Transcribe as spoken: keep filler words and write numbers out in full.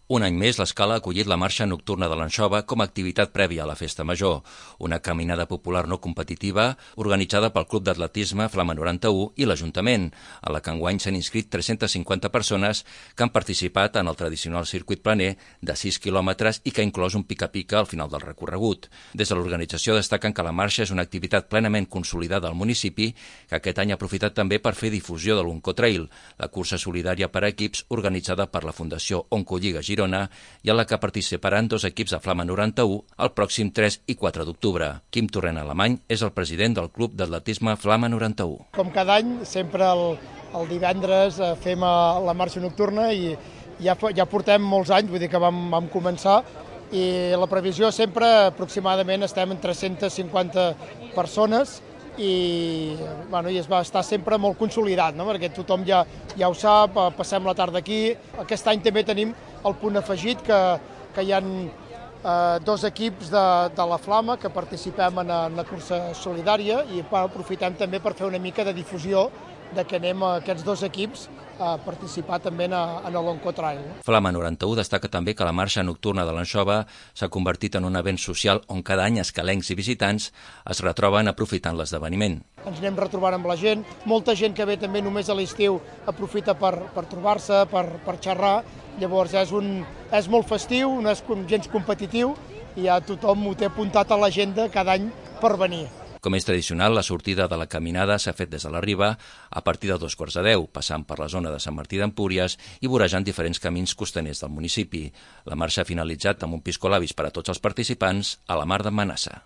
Un any més, l'Escala ha acollit la marxa nocturna de l'Anxova com a activitat prèvia a la Festa Major, una caminada popular no competitiva organitzada pel Club d'Atletisme Flama noranta-u i l'Ajuntament, a la que enguany s'han inscrit tres-centes cinquanta persones que han participat en el tradicional circuit planer de sis quilòmetres i que ha inclòs un pica-pica al final del recorregut. Des de l'organització destaquen que la marxa és una activitat plenament consolidada al municipi, que aquest any ha aprofitat també per fer difusió de l'Oncotrail, la cursa solidària per a equips organitzada per la Fundació Oncolliga Girona i en la que participaran dos equips de Flama noranta-u el pròxim tres i quatre d'octubre. Quim Torrent Alemany és el president del Club d'Atletisme Flama noranta-u. Com cada any, sempre el, el divendres fem la marxa nocturna i ja, ja portem molts anys, vull dir que vam, vam començar, i la previsió sempre aproximadament estem en tres-centes cinquanta persones i, bueno, i es va estar sempre molt consolidat, no? Perquè tothom ja, ja ho sap, passem la tarda aquí. Aquest any també tenim el punt afegit que, que hi ha eh, dos equips de, de la Flama que participem en, en la cursa solidària i aprofitem també per fer una mica de difusió de que anem a aquests dos equips a participar també en, en l'Oncotrail. Flama noranta-u destaca també que la marxa nocturna de l'Anxova s'ha convertit en un event social on cada any escalencs i visitants es retroben aprofitant l'esdeveniment. Ens anem retrobant amb la gent, molta gent que ve també només a l'estiu aprofita per, per trobar-se, per, per xerrar, llavors és, un, és molt festiu, no és gens competitiu i ja tothom ho té apuntat a l'agenda cada any per venir. Com és tradicional, la sortida de la caminada s'ha fet des de la Riba a partir de dos quarts de deu, passant per la zona de Sant Martí d'Empúries i vorejant diferents camins costaners del municipi. La marxa ha finalitzat amb un piscolabis per a tots els participants a la Mar d'en Manassa.